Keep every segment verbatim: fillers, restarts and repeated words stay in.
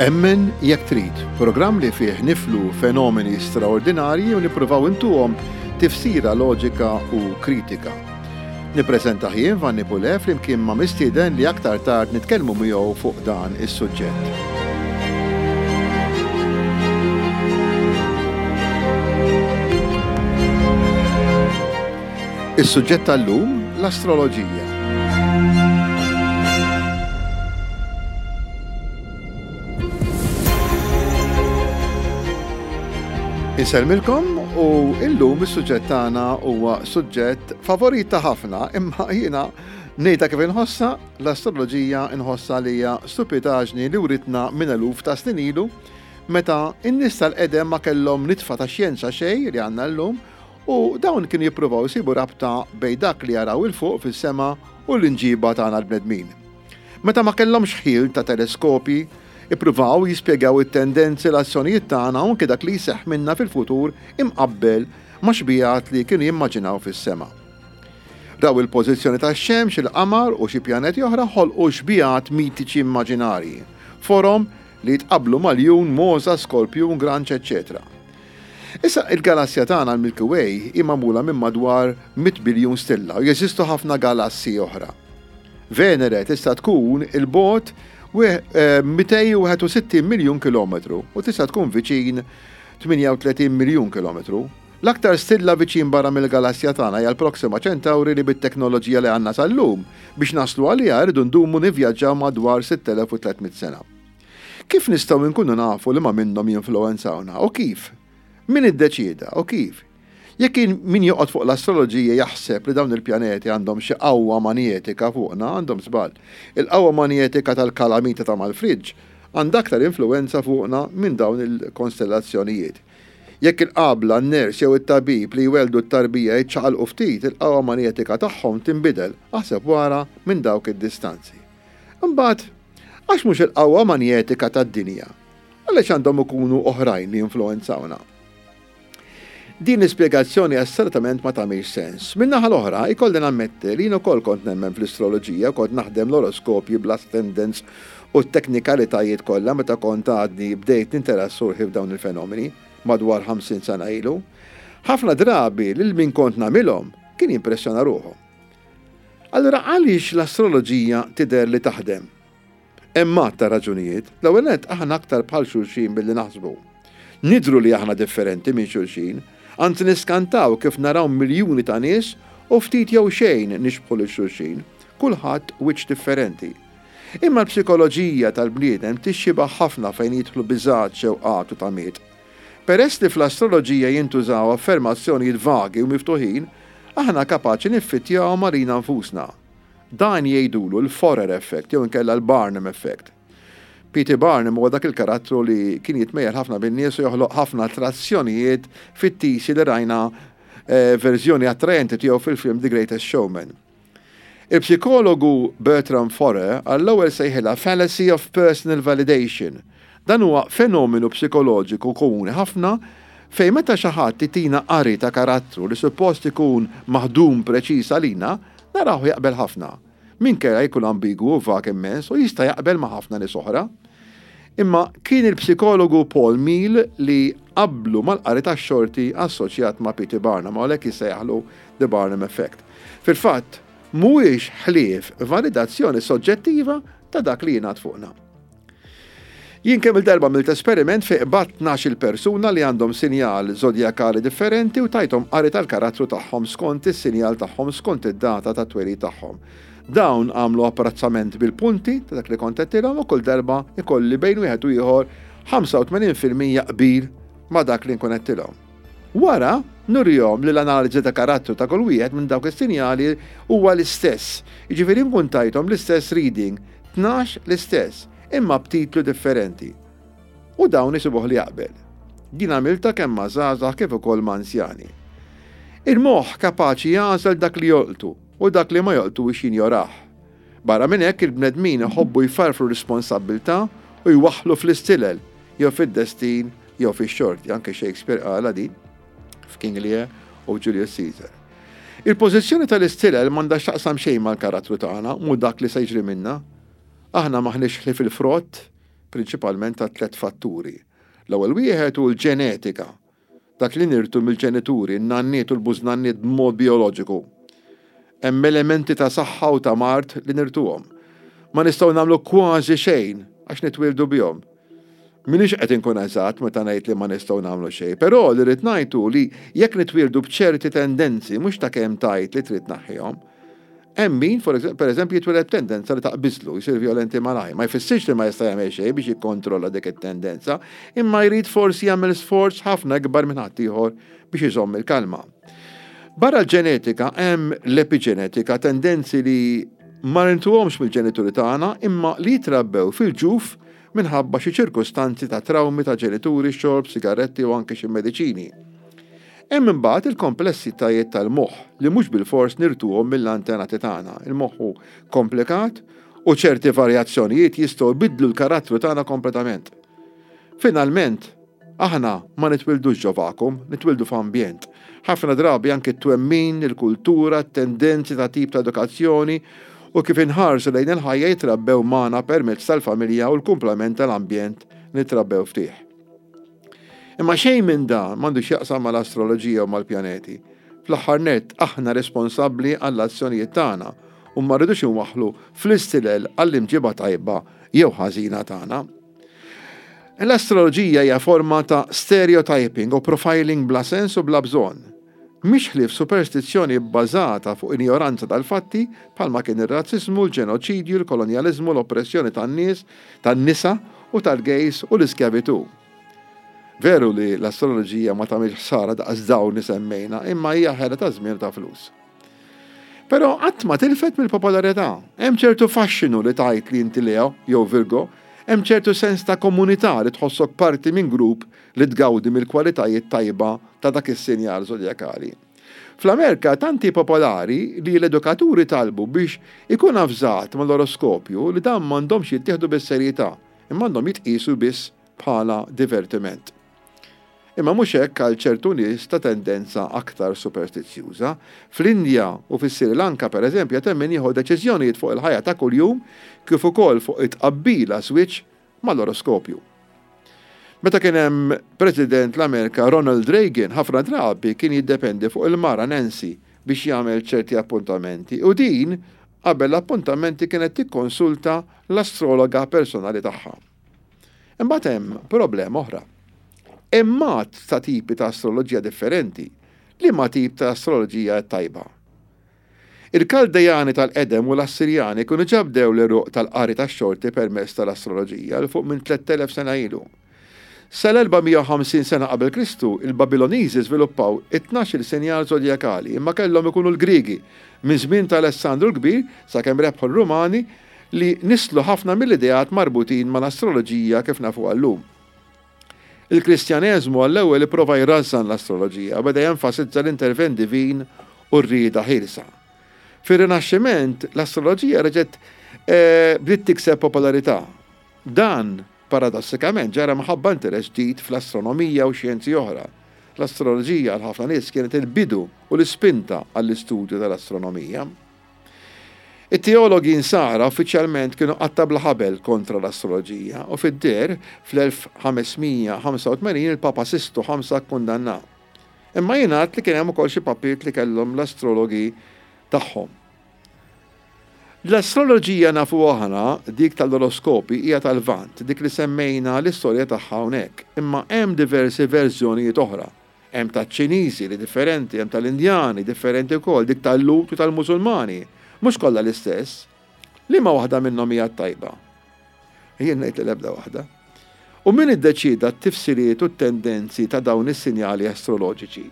Emmen Jekk Trid, programm li fih niflu fenomeni straordinarji u nippruvaw intuhom tifsira loġika u kritika. Nippreżenta jien Vanni Pule flimkien ma' mistieden li aktar tard nitkellmu miegħu fuq dan is-suġġett. Is-suġġett tal-lum l-astroloġija. Insellmilkom u illum is-suġġett tagħna huwa suġġett favorit ta' ħafna imma jiena ngħidha kif inħossha l-astroloġija nħossha li hija stupidaġni li writna minn eluf ta' snin ilu meta n-nies tal-qedem ma kellhom nitfa ta' xjenza xejn li għandna llum u dawn kienu jippruvaw isibu rabta bejn dak li jaraw 'il fuq fis-sema u l-inġiba tagħna l-bnedmin. Meta ma kellhomx ħil ta' teleskopji, ippruvaw jispjegaw it-tendenzi l-azzjonijiet tagħna u anke dak li jseħħ minna fil-futur imqabbel ma' xbijat li kienu jimmaġinaw fis-sema. Raw il-pożizzjoni tax-xemx, il-qamar u xi pjaneti oħra ħolqu xbijat mitiċi immaġinarji, forom li jitqabblu ma' ljun, mogħża, skorpjun, granċ, eċċetera. Issa il-galassja tagħna l-Milky Way hi magħmula minn madwar mitt biljun stilla u jeżistu ħafna galassi oħra. Venere tista' tkun il-bogħod mitejn u wieħed u sittin miljun kilometru u tista' tkun viċin tmienja u tletin miljun kilometru. L-aktar stilla viċin barra mill-galassja tagħna hija l-Proxima Centauri li bit-teknoloġija li għandna sal-lum biex naslu għaliha rridu ndumu nivvjaġġaw madwar sitt elef u tliet mitt sena. Kif nistgħu nkunu nafu li ma minnhom jinfluwenzawna u kif? Min iddeċieda u kif? Jekk min joqgħod fuq l-astroloġija jaħseb li dawn il-pjaneti għandhom xi qawwa manjetika fuqna, għandhom żball. Il-qawwa manjetika tal-kalamita ta' mal-friġġ għandha aktar influwenza fuqna minn dawn il-konstellazzjonijiet. Jekk il-qabla, n-ners jew it-tabib li jweldu t-tarbija jiċċaqalqu ftit, il-qawwa manjetika tagħhom tinbidel, aħseb wara minn dawk id-distanzi. Imbagħad, għax mhux il-qawwa manjetika tad-dinja? Għaliex għandhom ikunu oħrajn li jinfluwenzawna? Din l-ispjegazzjoni assolutament ma tagħmilx sens. Min-naħa l-oħra, ikolli nammetti li jien ukoll kont nemmen fl-istroloġija, kont naħdem l-oroskopji bl-ascendants u t-teknikalitajiet kollha meta kont għadni bdejt ninteressa ruħi f'dawn il-fenomeni madwar ħamsin sena ilu. Ħafna drabi lil min kont nagħmilhom kien jimpressjona ruħu. Allura għaliex l-astroloġija tidher li taħdem? Hemm għadd ta' raġunijiet. L-ewwel nett aħna aktar bħal xulxin billi naħsbu. Nidru li aħna differenti minn xulxin, anzi niskantaw kif naraw miljuni ta' nies u ftit jew xejn nixbħu lil xulxin, kulħadd wiċċ differenti. Imma l-psikoloġija tal-bniedem tixxibaħ ħafna fejn jidħlu biżgħat, xewqat u tamiet. Peress li fl-astroloġija jintużaw affermazzjonijiet vagi u miftuħin, aħna kapaċi niffittjaw għalina nfusna. Dan jgħidulu l-Forer effect jew inkella l-Barnum effect. P T Barnum huwa dak il-karattru li kien jitmejjel ħafna bin-nies u joħloq ħafna attrazzjonijiet fittisi li rajna, eh, verżjoni attraenti tiegħu fil-film The Greatest Showman. Il-psikologu Bertram Forer għall-ewwel sejħilha fallacy of personal validation. Dan huwa fenomenu psikoloġiku komuni ħafna fejn meta xi ħadd itina qari ta' karattru li suppost ikun maħdum preċiż għalina, naraw jaqbel ħafna. Minkejja jkun ambigwu u vag immens u jista' jaqbel ma' ħafna nies oħra. Imma kien il-psikologu Paul Meehl li qablu mal-qari tax-xorti assoċjat ma' P T Barnum, u għalhekk jissejjaħlu The Barnum Effect. Fil-fatt, mhuwiex ħlief validazzjoni soġġettiva ta' dak li jingħad fuqna. Jien kemm il-darba għamilt esperiment fejn qbadt tnax-il persuna li għandhom sinjal zodjakali differenti u tajthom qari tal-karattru tagħhom skont is-sinjal tagħhom skont id-data tat-twelid tagħhom. Dawn għamlu apprezzament bil-punti ta' dak li kont għedtilhom u kull darba ikolli bejn wieħed u ieħor ħamsa u tmenin fil-mija qbil ma' dak li nkun għedtilhom. Wara, nurihom li l-analiżi ta' karattru ta' kull wieħed minn dawk is-sinjali huwa l-istess. Jiġifieri nkun tajthom l-istess reading, tnax l-istess, imma b'titlu differenti. U dawn isibuh li jaqbel. Din għamilta kemm ma' żgħażagħ kif ukoll ma' anzjani. Il-moħħ kapaċi jagħżel dak li jolqtu u dak li ma jolqtux jinjorah. Barra minn hekk il-bnedmin iħobbu jfarfru responsabbiltà u jwaħħlu fl-istilel jew fid-destin jew fix-xorti. Anke Shakespeare qala din f'King Lear u Julius Caesar. Il-pożizzjoni tal-istilel m'għandha x'taqsam xejn mal-karattru tagħna, mhu dak li se jiġri minna. Aħna m'aħniex ħlief il-frott prinċipalment ta' tliet fatturi. L-ewwel wieħed hu l-ġenetika, dak li nirtu mill-ġenituri, n-nanniet u l-bużnanniet b'mod bioloġiku. Hemm elementi ta' saħħa u ta' mard li nirtuhom. Ma nistgħu nagħmlu kważi xejn għax nitwieldu bihom. M'iniex qed inkun eżatt meta ngħid li ma nistgħu nagħmlu xejn, però li rrid ngħidu li jekk nitwieldu b'ċerti tendenzi mhux ta' kemm tgħid li trid tneħħihom. Hemm min, per eżempju, jitwieled tendenza li taqbiżlu, jsir violenti malaj. Ma jfissirx li ma jista' jagħmel xejn biex jikkontrolla dik it-tendenza, imma jrid forsi jagħmel sforz ħafna ikbar minn ħaddieħor biex iżomm il-kalma. Barra l-ġenetika hemm l-epiġenetika, tendenzi li ma nirtuhomx mill-ġenituri tagħna imma li jitrabbew fil-ġuf minħabba xi ċirkustanzi ta' trawmi ta' ġenituri, xorb, sigaretti u anke xi mediċini. Hemm imbagħad il-komplessitajiet tal-moħħ li mhux bilfors nirtuhom mill-antenati tagħna. Il-moħħ hu komplikat u ċerti varjazzjonijiet jistgħu jbiddlu l-karattru tagħna kompletament. Finalment, aħna ma nitwildux ġo vacuum, nitwildu f'ambjent. Ħafna drabi anke t-twemmin, il-kultura, t-tendenzi ta' tip ta' edukazzjoni u kif inħarsu lejn il-ħajja jitrabbew magħna permezz tal-familja u l-kumplament tal-ambjent nitrabbew fih. Imma xejn minn dan m'għandux jaqsam mal-astroloġija u mal-pjaneti. Fl-aħħar nett aħna responsabbli għall-azzjonijiet tagħna u ma rridux inwaħħlu fl-istilel għall-imġiba tajba jew ħażina tagħna. L-astroloġija hija forma ta' stereotyping u profiling bla sens u bla bżonn. Mhix ħlief superstizzjoni bbażata fuq injoranza tal-fatti bħalma kien ir-razzismu, l-ġenoċidju, l-kolonjaliżmu, l-oppressjoni tan-nies, tan-nisa u tal-gays u l-iskjavitù. Veru li l-astroloġija ma tagħmilx ħsara daqs dawn li semmejna, imma hija ħela ta' żmien ta' flus. Però qatt ma tilfet mill-popolarità. Hemm ċertu faxxinu li tgħid li inti Leo jew Virgo, hemm ċertu sens ta' komunità li tħossok parti minn grupp li tgawdi mill-kwalitajiet tajba ta' dak is-sinjal zodjakali. Fl-Amerika tant hi popolari li l-edukaturi talbu biex ikun avżat mal-oroskopju li dan m'għandhomx jittieħdu bis-serjetà, imma għandhom jitqisu biss bħala divertiment. Imma mhux hekk għal ċertu nies ta' tendenza aktar superstizzjuża. Fl-Indja u fis-Sri Lanka pereżempju hemm min jieħu deċiżjonijiet fuq il-ħajja ta' kuljum kif ukoll fuq it-tqabbil għaż-żwieġ mal-oroskopju. Meta kien hemm President l-Amerika Ronald Reagan, ħafna drabi kien jiddependi fuq il-mara Nancy biex jagħmel ċerti appuntamenti u din qabel l-appuntamenti kienet tikkonsulta l-astrologa personali tagħha. Imbagħad hemm problema oħra. Hemm għadd ta' tipi ta' astroloġija differenti. Liema tip ta' astroloġija tajba? Il-Kaldejani tal-qedem u l-Assirjani kienu ġa bdew l-għeruq tal-qari tax-xorti permezz tal-astroloġija 'l fuq minn tlett elef sena ilu. Sal-erba' mija u ħamsin sena qabel Kristu, il-Babiloniżi żviluppaw it-tnax-il sinjal zodjakali, imma kellhom ikunu l-Griegi minn żmien ta' Alessandru l-Kbir sakemm rebħu l-Rumani li nislu ħafna mill-ideat marbutin mal-astroloġija kif nafuha llum. Il-Kristjaneżmu għall-ewwel ipprova jrażżan l-astroloġija u beda jenfasizza l-intervent divin u r-rieda ħielsa. Fir-Rinaxximent, l-astroloġija reġgħet eh, bdiet tikseb popolarità. Dan, paradossikament, ġara minħabba interess ġdid fl-astronomija u xjenzi oħra. L-astroloġija għal ħafna nies kienet il-bidu u l-ispinta għall-istudju tal-astronomija. It-teologi insara uffiċjalment kienu qatta bla ħabel kontra l-astroloġija u fid-deher fl-elf ħames mija ħamsa u tmenin il-Papa Sistu ħamsa kkundanna. Imma jingħad li kien hemm ukoll xi papiet li kellhom l-astrologi tagħhom. L-astroloġija nafu aħna, dik tal-oroskopi, hija tal-Lvant, dik li semmejna l-istorja tagħha hawnhekk, imma hemm diversi verżjonijiet oħra. Hemm taċ-Ċiniżi li differenti, hemm tal-Indjani differenti wkoll, dik tal-Lut u tal-Musulmani. Mhux kollha l-istess. Liema waħda minnhom hija t-tajba? Jien ngħid li l-ebda waħda. U min iddeċieda t-tifsiriet u t-tendenzi ta' dawn is-sinjali astroloġiċi?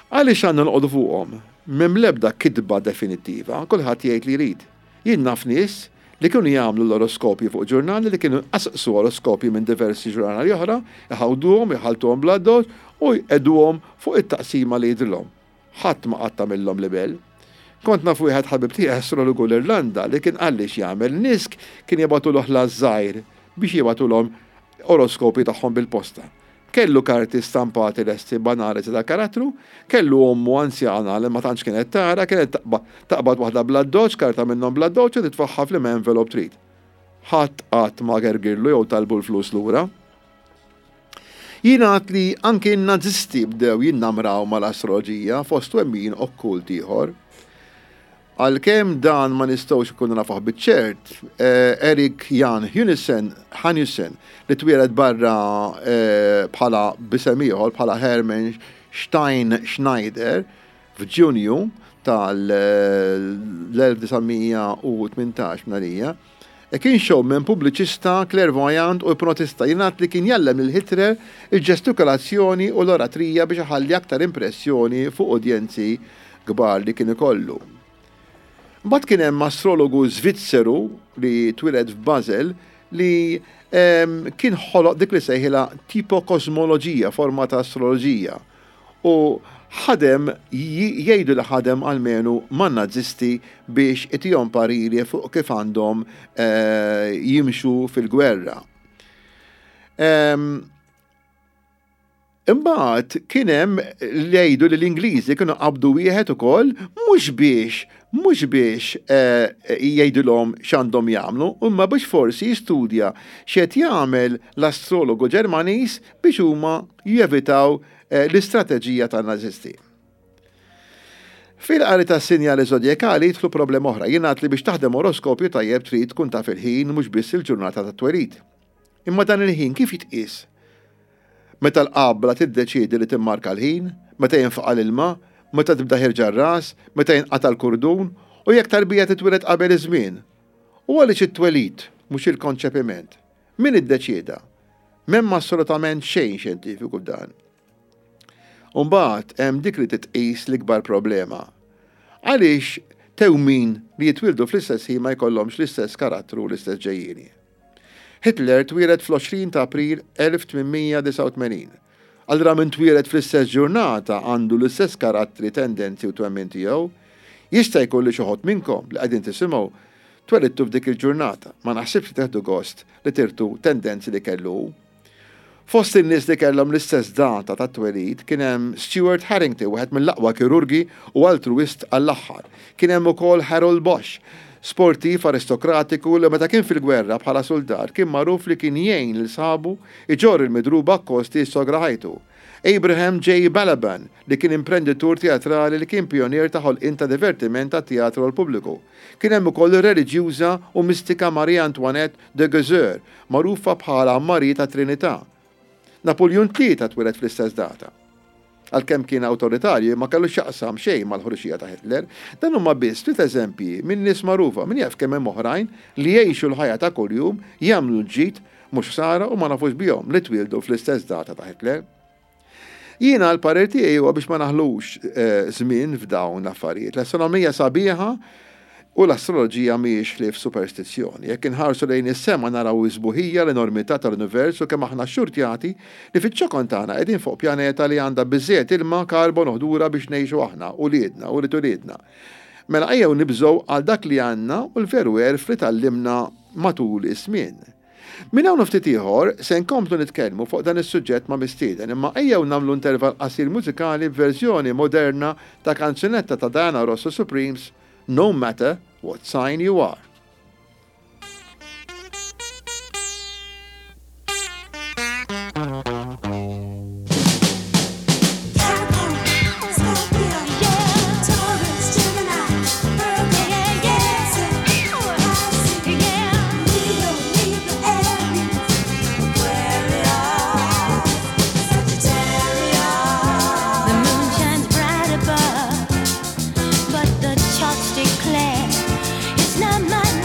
Għaliex għandna noqogħdu fuqhom? M'hemm l-ebda kitba definittiva, kulħadd jgħid li jrid. Jien naf nies li kienu jagħmlu l-oroskopji fuq ġurnali li kienu jqasqsu oroskopji minn diversi ġurnali oħra, iħawduhom, iħaltuhom bl-addoċ u jqegħduhom fuq it-taqsima li jidhrilhom. Ħadd ma qatt għamilhom libel. Kont naf wieħed ħabib tiegħi astrologu l-Irlanda li kien qalli x'jagħmel. Nies kien jibgħatulu ħlas żgħir biex jibgħatulhom oroskopi tagħhom bil-posta. Kellu karti stampati lesti b'analiżi tal-karattru, kellu ommu anzjana li ma tantx kienet tara, kienet taqbad waħda bl-addoċ, karta minnhom bl-addoċ u titfaħħa fl-envelope trid. Ħadd qatt ma gergirlu jew talbu l-flus lura. Jingħad li anki n-Nazisti bdew jinnamraw mal-astroloġija fost twemmin okkult ieħor. Għalkemm dan ma nistgħux ikunu nafuh biċ-ċert, eh, Erik Jan Hanussen, Hanussen li twieled barra eh, bħala b'isem ieħor bħala Hermann Stein Schneider f'Ġunju tal-elf disa' mija u tmintax mnarija, e kien showman, pubbliċista, clairvoyant u ipnotista. Jingħad li kien jgħallem lil Hitler il-ġestikolazzjoni u l-oratrija biex iħalli aktar impressjoni fuq udjenzi kbar li kien ikollu. Mbagħad kien hemm astrologu Svizzeru li twieled f'Basel li, ehm, kien ħoloq dik li sejħilha tipokosmoloġija, forma ta' astroloġija. U ħadem, j-, jgħidu li ħadem almenu man-nazisti biex itihom pariri fuq kif għandhom, eh, jimxu fil-gwerra. Ehm, imbagħad kien hemm li jgħidu li l-Ingliżi kienu qabdu wieħed ukoll mhux biex, mhux biex, eh, jgħidulhom x'għandhom jagħmlu, imma biex forsi jistudja x'qed jagħmel l-astrologu Ġermaniż biex huma jevitaw, eh, l-istrateġija tan-nazisti. Fil-qari tas-sinjali zodjakali jidħlu problema oħra. Jingħad li biex taħdem oroskopju tajjeb trid tkun taf il-ħin mhux biss il-ġurnata tat-twelid. Imma dan il-ħin kif jitqies? Meta l-qabla tiddeċiedi li timmarka l-ħin, meta jinfaqa' l-ilma, meta tibda ħirġa r-ras, meta jinqata' l-kurdun, u jekk tarbija titwieled qabel iż-żmien. U għaliex it-twelid, mhux il-konċepiment? Min iddeċieda? M'hemm assolutament xejn xjentifiku f'dan. U mbagħad hemm dik li titqis l-ikbar problema. Għaliex tewmin li jitwildu fl-istess ħin ma jkollhomx l-istess karattru u l-istess ġejjieni. Hitler twieled fl-għoxrin ta' April elf tmien mija disgħa u tmenin. Allura min twieled fl-istess ġurnata għandu l-istess karattri, tendenzi u twemmin tiegħu. Jista' jkun li xi ħadd minnkom li qegħdin tisimgħu twelidtu f'dik il-ġurnata. Ma naħsibx li teħdu gost li tirtu tendenzi li kellu hu. Fost in-nies li kellhom l-istess data ta' twelid kien hemm Stuart Harrington, wieħed mill-aqwa kirurgi u altruist għall-aħħar. Kien hemm ukoll Harold Bosch, sportiv aristokratiku li meta kien fil-gwerra bħala soldat kien magħruf li kien jgħin lil sħabu iġorr il-midruba akkosti sogra ħajtu. Abraham J. Balaban, li kien imprenditur teatrali li kien pionier ta' ħolqien ta' divertiment ta' teatru għal pubbliku. Kien hemm ukoll ir-reliġjuża u mistika Marie Antoinette de Geuser, magħrufa bħala Marie ta' Trinità. Napoleon tlieta twieled fl-istess data. Għalkemm kien awtoritarju ma kellu x'jaqsam xejn mal-ħruxija ta' Hitler, dan huma biss ftit eżempji minn nies magħrufa, min jaf kemm hemm oħrajn li jgħixu l-ħajja ta' kuljum, jagħmlu l-ġid mhux ħsara u ma nafux bihom li twieldu fl-istess data ta' Hitler. Jiena l-parir tiegħi huwa biex ma naħlux, eh, żmien f'dawn l-affarijiet. L-astronomija sabiħa u l-astroloġija mhijiex ħlief superstizzjoni. Jekk inħarsu lejn is-sema naraw is-sbuħija, l-enormità tal-univers u kemm aħna xxurtjati li fiċ-ċokon tagħna qegħdin fuq pjaneta li għandha biżżejjed ilma, karbon u ħdura biex ngħixu aħna, uliedna u ulied uliedna. Mela ejjew nibżgħu għal dak li għandna u l-veru għerf li tgħallimna matul iż-żmien. Minn hawn ftit ieħor se nkomplu nitkellmu fuq dan is-suġġett ma' mistieden, imma ejjew nagħmlu intervall qasir mużikali b'verżjoni moderna ta' kanzunetta ta' Diana Ross u Supremes, No Matter What Sign You Are. Declare it's not my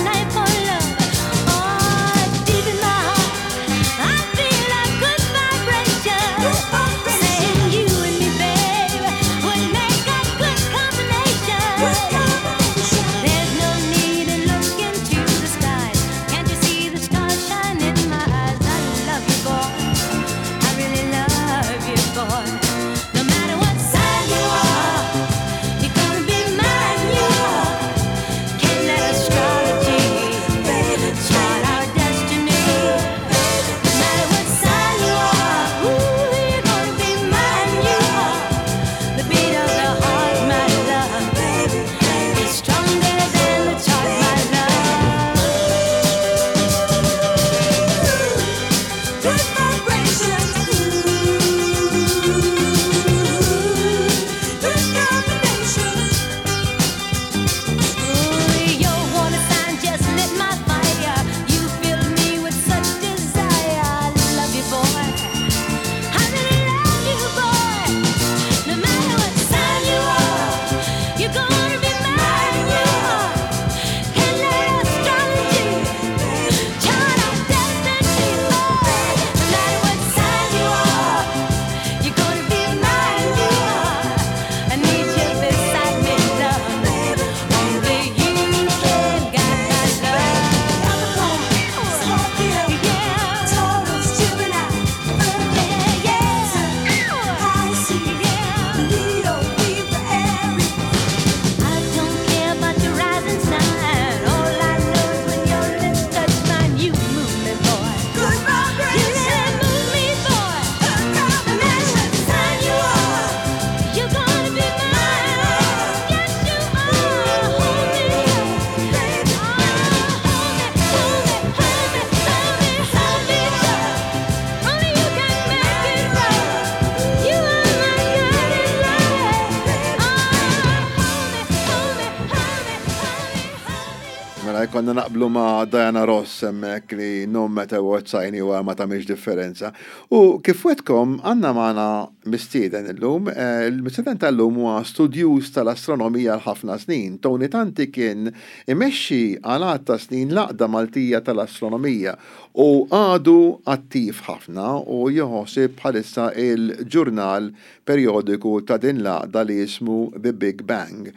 Konna naqblu ma' Diana Ross hemmhekk li no matter what sign you are, ma tagħmilx differenza. U kif wegħedtkom, għandna magħna mistieden illum. Eh, il-mistieden tal-lum huwa studjuż tal-astronomija għal ħafna snin. Tony Tanti kien imexxi għal ta' snin l-Għaqda Maltija tal-Astronomija u għadu attiv ħafna u joħosib bħalissa il-ġurnal periodiku ta' din l-għaqda li jismu The Big Bang.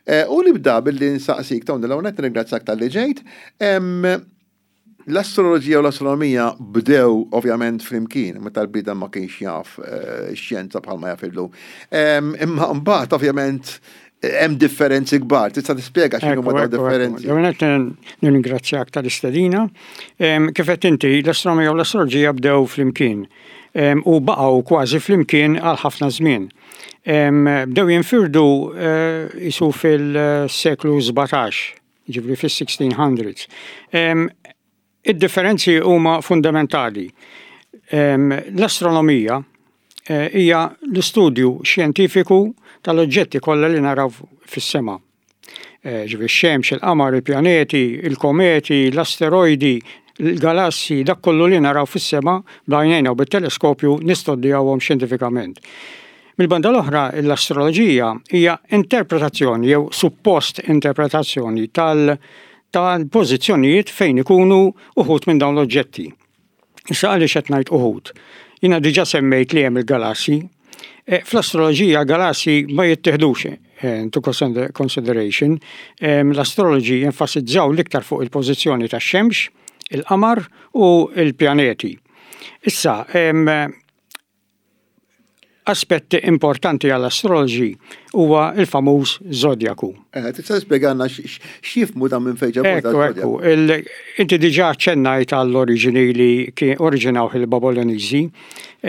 Eh, u nibda billi nsaqsik, Tony, l-ewwel nirringrazzjak talli ġejt. L-astroloġija u l-astronomija bdew ovvjament flimkien, meta l-bniedem ma kienx jaf eh, xjenza bħalma jaf illum. Imma mbagħad ovvjament hemm differenzi kbar. Tista' tispjega x'inhu ma differenzi? Ġewenet nirringrazzjak tal-istedina. Kif qed inti, l-astronomija u l-astroloġija bdew flimkien u baqgħu kważi flimkien għal ħafna żmien. Bdew jinfirdu eh, isu fil-seklu sbatax, ġifieri fis-sixteen hundreds. Id-differenzi huma fundamentali. L-astronomija eh, hija l-istudju xjentifiku tal-oġġetti kollha li naraw fis-sema. Eh, ġifieri x-xemx, il-qamar, il-pjaneti, il-kometi, l-asteroidi, il-galassi, dak kollu li naraw fis-sema b'għajnejna u bit-teleskopju nistudjawhom xjentifikament. Mil-banda l-oħra, l-astroloġija hija interpretazzjoni jew suppost interpretazzjoni tal- tal-pożizzjonijiet fejn ikunu uħud minn dawn l-oġġetti. Issa, għaliex qed ngħid uħud? Jiena diġà semmejt li hemm il-galassi. E, fl-astroloġija galassi ma jittieħdux eh, into consideration. L-astroloġi jenfasizzaw l-iktar fuq il-pożizzjoni tax-xemx, il-qamar u il-pjaneti. Issa, aspetti importanti għall-astroloġi huwa il-famuż zodjaku. Eh, tista' tispjegalna x'jifhmu dan, minn fejn ġabu? Ekku, ekku. Inti diġà ċennajt għall-oriġini li kien oriġinaw il-Babiloniżi.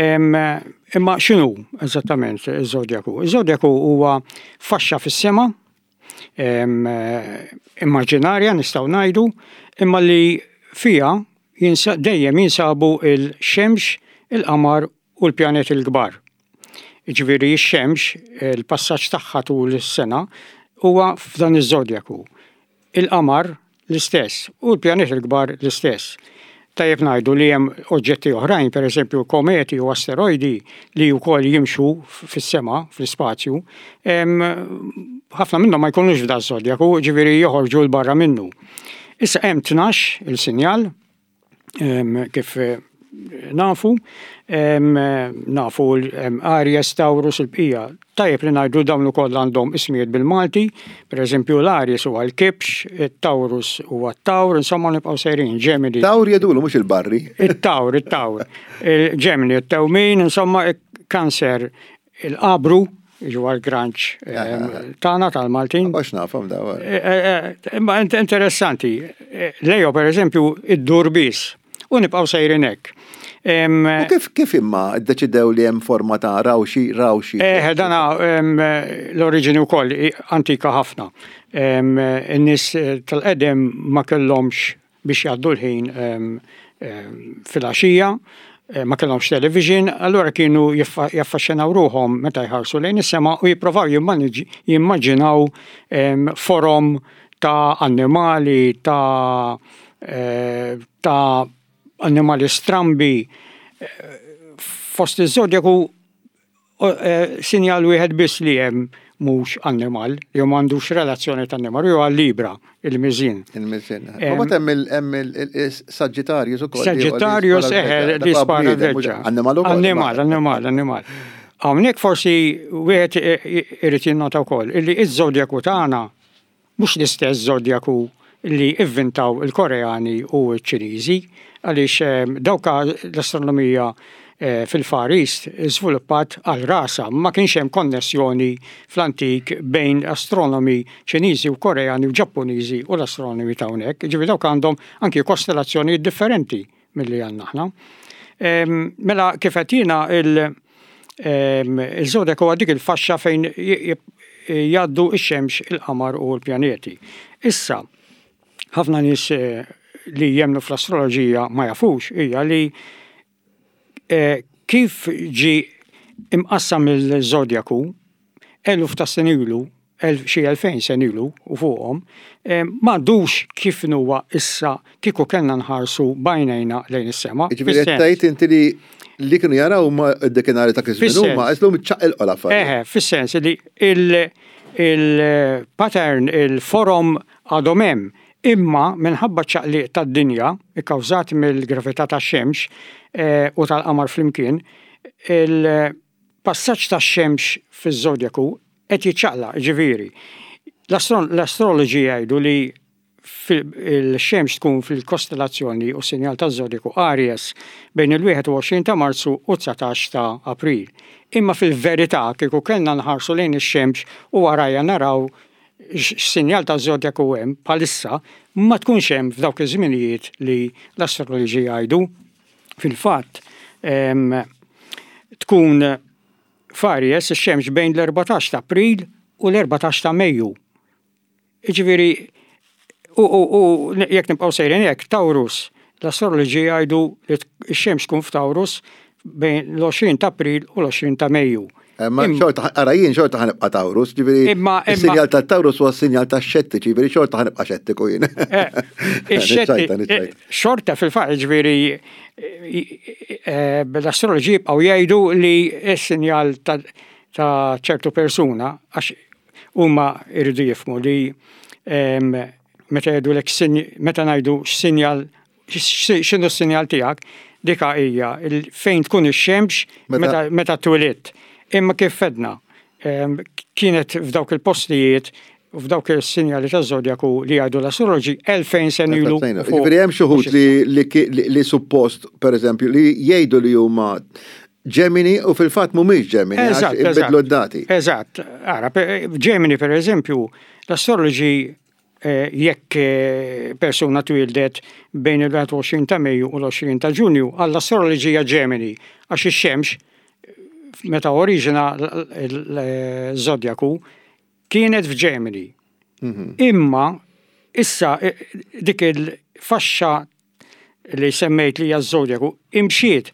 Imma x'inhu eżattament iż-żodjaku? Iż-żodjaku huwa faxxa fis-sema, immaġinarja nistgħu ngħidu, imma li fija dejjem jinsabu il-xemx, il-qamar u l-pjaneti l-kbar. Ġifieri x-xemx, il-passaġġ tagħha tul is-sena huwa f'dan iż-żodjaku. Il-qamar l-istess u l-pjaneti l-kbar l-istess. Tajjeb ngħidu li hemm oġġetti oħrajn, per eżempju kometi u asteroidi li wkoll jimxu fis-sema, fl-ispazju, ħafna minnhom ma jkunux f'dan żodjaku, ġifieri joħorġu 'l barra minnu. Issa, hemm tnax il-sinjal, kif nafu, nafu Aries, Taurus, il-bqija. Tajjeb li ngħidu dawn ukoll għandhom ismijiet bil-Malti, per eżempju l-Aries huwa l-Kibx, il-Taurus huwa t-Tawr, insomma nibqgħu sejrin, Gemini. Tawr jedulu mhux il-barri. Il-Tawr, il-Tawr. Il-Gemini, il-Tewmin, insomma, Cancer, il-Qabru, ġu għal-granċ tagħna tal-Maltin. Għax nafhom daw. Eh, eh, eh, imma interessanti, Leo, per eżempju, id-durbis, u nibqgħu sejrin hekk. U kif kif imma ddeċidew li hemm forma ta' rawxi rawxi? Eh, dana l-oriġini wkoll antika ħafna. In-nies tal-qedem ma kellhomx biex jgħaddu l-ħin fil-għaxija, eh, ma kellhomx television, allura kienu jaffaxxinaw ruħhom meta jħarsu lejn is-sema u jipprovaw jimmaġinaw forom ta' annimali, ta' eh, ta' annimali strambi. Fost iż-żodjaku eh, sinjal wieħed biss li hemm mhux annimal, jew m'għandux relazzjoni ta' annimal, jew għal-Libra, il-miżien. Il-miżien. U hemm il-Sagittarius ukoll. Sagittarius, eħe, li spara veġġa. Annimal ukoll. Annimal, annimal, annimal. Hawnhekk forsi wieħed irid jinnota wkoll illi iż-żodjaku tagħna mhux l-istess żodjaku li ivvintaw il-Koreani u ċ-Ċiniżi, għaliex eh, dawka l-astronomija eh, fil-Far East żviluppat għal rasa, ma kienx hemm konnessjoni fl-antik bejn astronomi Ċiniżi u Koreani u Ġappuniżi u l-astronomi ta' hawnhekk. Ġifieri dawk għandhom anki kostellazzjoni differenti milli għandna aħna. Mela, kif qed jiena, il-żodjak huwa dik il-faxxa fejn jgħaddu ix-xemx, il-qamar u l-pjaneti. Issa, ħafna nies eh, li jemnu fl-astroloġija ma jafux hija li eh, kif ġi imqassam il-żodjaku eluf ta' snin ilu, xi elfejn sena ilu u fuqhom, m'għadux kif huwa issa kieku kellna nħarsu b'għajnejna lejn is-sema. Ġifieri qed tgħid inti li li kienu jaraw ma d-dekinari ta' kif huma għażlu ċaqilqu l-affarijiet. Eħe, fis-sens li il-pattern, il-forom għadhom hemm, imma minħabba ċaqliq tad-dinja ikkawżat mill-gravità tax-xemx eh, u tal-qamar flimkien, il-passaġġ tax-xemx fiż-żodjaku qed jiċċaqlaq, ġifieri. L-astroloġi jgħidu li il-xemx tkun fil-kostellazzjoni u sinjal taż-żodjaku Aries bejn il-wieħed u għoxrin ta' Marzu u dsatax ta' April. Imma fil-verità kieku kellna nħarsu lejn ix-xemx u warajja naraw x'sinjal ta' żodjaku hemm bħalissa, ma tkunx hemm f'dawk iż-żminijiet li l-astroloġi jgħidu. Fil-fatt tkun f'Aries ix-xemx bejn l-erbatax ta' April u l-erbatax ta' Mejju. Jiġifieri, u, u, u jekk nibqgħu sejrin hekk, Taurus, l-astroloġi jgħidu li x-xemx tkun f'Taurus bejn l-għoxrin ta' April u l-għoxrin ta' Mejju. Ma xorta, ara jien xorta ħa nibqa' Taurus, ġifieri Imma- imma- il-sinjal ta' Taurus huwa sinjal ta' xettiċi, ġifieri xorta ħa nibqa' xettiku jien. Eh, ix-xetti- Niċċajta, niċċajta. eh, Xorta fil-fatt, ġifieri, eh, l-astroloġi jibqgħu jgħidu li s-sinjal ta' ta' ċertu persuna, għax huma jridu jifhmu li em, meta jgħidu meta ngħidu x'sinjal x'inhu s-sinjal tiegħek, dika hija il- fejn tkun ix-xemx Meta- meta meta twelidt. Imma kif għedna, em, kienet f'dawk il-postijiet u f'dawk il-sinjali ta' zodjaku li għajdu l-astroloġi elfejn sena ilu. Ġifieri hemm xi wħud li, li, li, li suppost, per eżempju, li jgħidu li huma Gemini u fil-fatt mhumiex Gemini, għax Eżatt, inbidlu eżatt. d-dati. Eżatt. Ara, pe- Gemini per eżempju, l-astroloġi eh, jekk eh, persuna twildet bejn il-wieħed u għoxrin ta' Mejju u l-għoxrin ta' Ġunju, għall-astroloġija Gemini, għax ix-xemx meta oriġina l-zodjaku kienet f'Gemini. Imma issa eh, dik il-faxxa li semmejt li hija z-zodjaku imxiet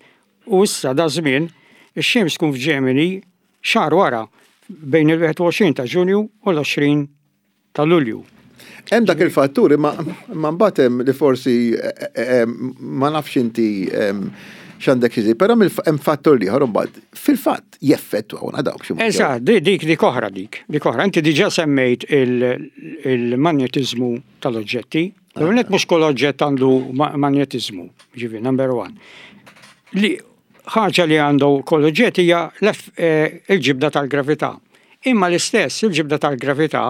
u issa da żmien ix-xemx tkun f'Gemini xahar wara, bejn il-wieħed u għoxrin ta' Ġunju u l-għoxrin ta' Lulju. Hemm dak il-fatturi, ma ma mbagħad hemm li forsi eh, eh, ma nafx inti em, x'għandek xi, però hemm fattur ieħor imbagħad fil-fatt jeffettwawna dawk xi mod. Eżatt, di- dik dik oħra dik, dik oħra. Inti diġà semmejt il- il-magnetizmu tal-oġġetti. L-għonet mhux kull oġġett għandu ma- magnetizmu, ġifieri, number one. Li ħaġa li għandu kull oġġett hija l-eff- eh, il-ġibda tal-gravità. Imma l-istess, il-ġibda tal-gravità,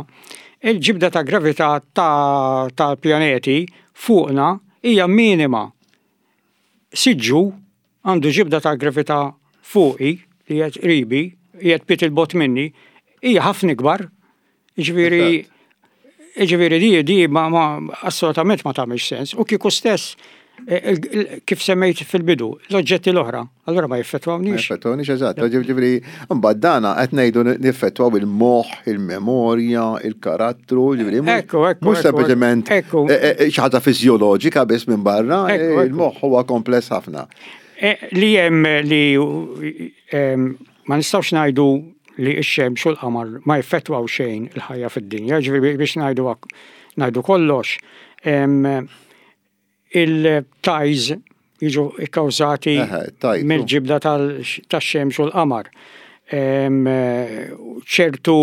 il-ġibda tal-gravità ta- tal-pjaneti fuqna hija minima. Siġġu għandu ġibda tal-gravità fuqi li qed qribi, qiegħed pied 'il bogħod minni, hija ħafna ikbar. Ġifieri ġifieri di di ma, ma assolutament ma tagħmilx sens. U kieku stess eh, il- il- kif semmejt fil-bidu, l-oġġetti l-oħra, allura ma Ma jeffettwawniex. Jeffettwawniex, eżatt. Ġifieri, mbagħad dana qed ngħidu neffettwaw il-moħħ, il-memorja, il-karattru, ġifieri mhux- Ekku, ekku, mhux ekku, sempliċement ekku. eh, eh, xi ħaġa fiżjoloġika biss minn barra, Ekku, eh, ekku. il-moħħ huwa kompless ħafna. Eh, Li hemm li em, ma nistgħux ngħidu li x-xemx u l-qamar ma jeffettwaw xejn il-ħajja fid-dinja, ġifieri biex ngħidu ngħidu kollox. Em, Il-tides jiġu ikkawżati Eħe, tides, mill-ġibda tal- tax-xemx u l-qamar. Em, ċertu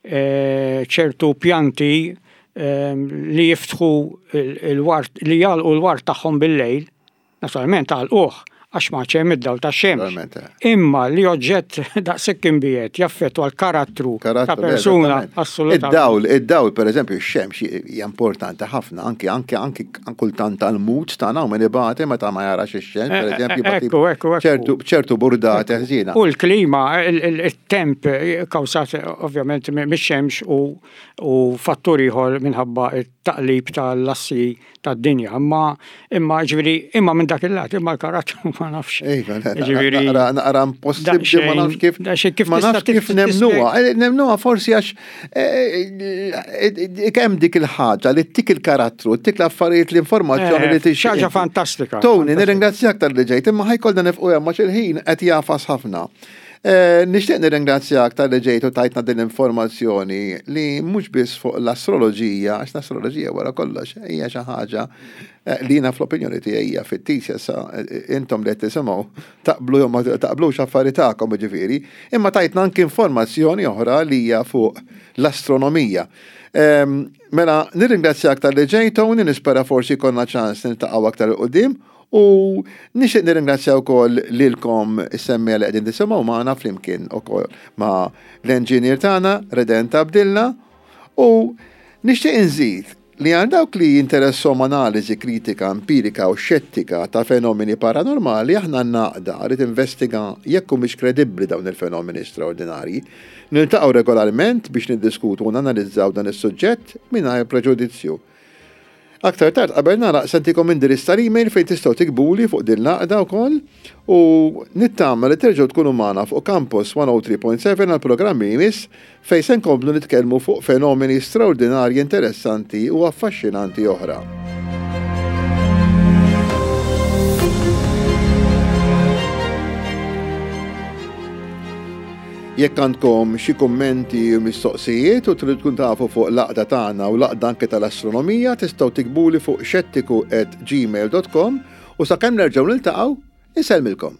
eh, ċertu pjanti em, li jiftħu il- il-ward, li jagħlqu l-ward tagħhom bil-lejl, naturalment għalquh għax ma hemm id-dawl tax-xemx. Naturalment, eh. Imma li oġġett daqshekk imbiegħed jaffettwa l-karattru ta' Karattru, persuna eżattament. assolutament. Id-dawl, id-dawl, per eżempju, ix-xemx hija importanti ħafna, anki anki anki kultant tal-mut tagħna u min ibati meta ma jarax ix-xemx, per Eh, eżempju, eh, bati ekku, ekku, ekku. ċertu ċertu burdati ħżiena. U l-klima, il- il- il-temp kawsat ovvjament mix-xemx u, u fattur ieħor minħabba it-taqlib tal-assi tad-dinja. Imma imma ġifieri imma minn dak il-lat, imma l-karattru ma nafx. Iva, Ġifieri- naqra naqra impossibbli, ma nafx kif Daqsxejn kif ma tista' nafx kif tif- nemnuha. Eh, Nemnuha forsi għax eh, eh, kemm dik il-ħaġa li tik il-karattru, tik l-affarijiet, l-informazzjoni li Eh, tixtieq. Xi ħaġa fantastika. Tony, fantastika. nirringrazzjak talli ġejt, imma ħa jkollna nieqfu hemm għax il-ħin qed jagħfas ħafna. Eh, nixtieq nirringrazzjak talli ġejt u tajtna din l-informazzjoni li mhux biss fuq l-astroloġija, għax l-astroloġija wara kollox hija xi ħaġa eh, li jiena fl-opinjoni tiegħi hija fittizja sa eh, intom li qed tisimgħu taqblu jew ma taqblux affari tagħkom ġifieri, imma tajtna anke informazzjoni oħra li hija fuq l-astronomija. Ehm, mela, nirringrazzjak talli ġejt u nispera forsi jkollna ċans niltaqgħu aktar 'il quddiem. U nixtieq nirringrazzja wkoll lilkom is-semmiegħa li qegħdin tisimgħu magħna flimkien ukoll ma' l-engineer tagħna Redent Abdilla u nixtieq inżid li għal dawk li jinteressahom analiżi kritika, empirika u xettika ta' fenomeni paranormali aħna għaqda li tinvestiga jekk humiex kredibbli dawn il-fenomeni straordinarji. Niltaqgħu regolarment biex niddiskutu u nanalizzaw dan is-suġġett mingħajr preġudizzju. Aktar tard qabel nagħlaq se ntikom indirizz tal-email fejn tistgħu tiktbuli fuq din l-għaqda wkoll u nittama li terġgħu tkunu magħna fuq Campus mija u tlieta punt seba' għal programmi jmiss fejn se nkomplu nitkellmu fuq fenomeni straordinarji, interessanti u affaxxinanti oħra. Jekk għandkom xi kummenti u mistoqsijiet u tridu tkun tafu fuq l-għaqda tagħna u l-għaqda anke tal-astronomija tistgħu tiktbuli fuq xettiku at gmail dot com u sakemm nerġgħu niltaqgħu, insellmilkom.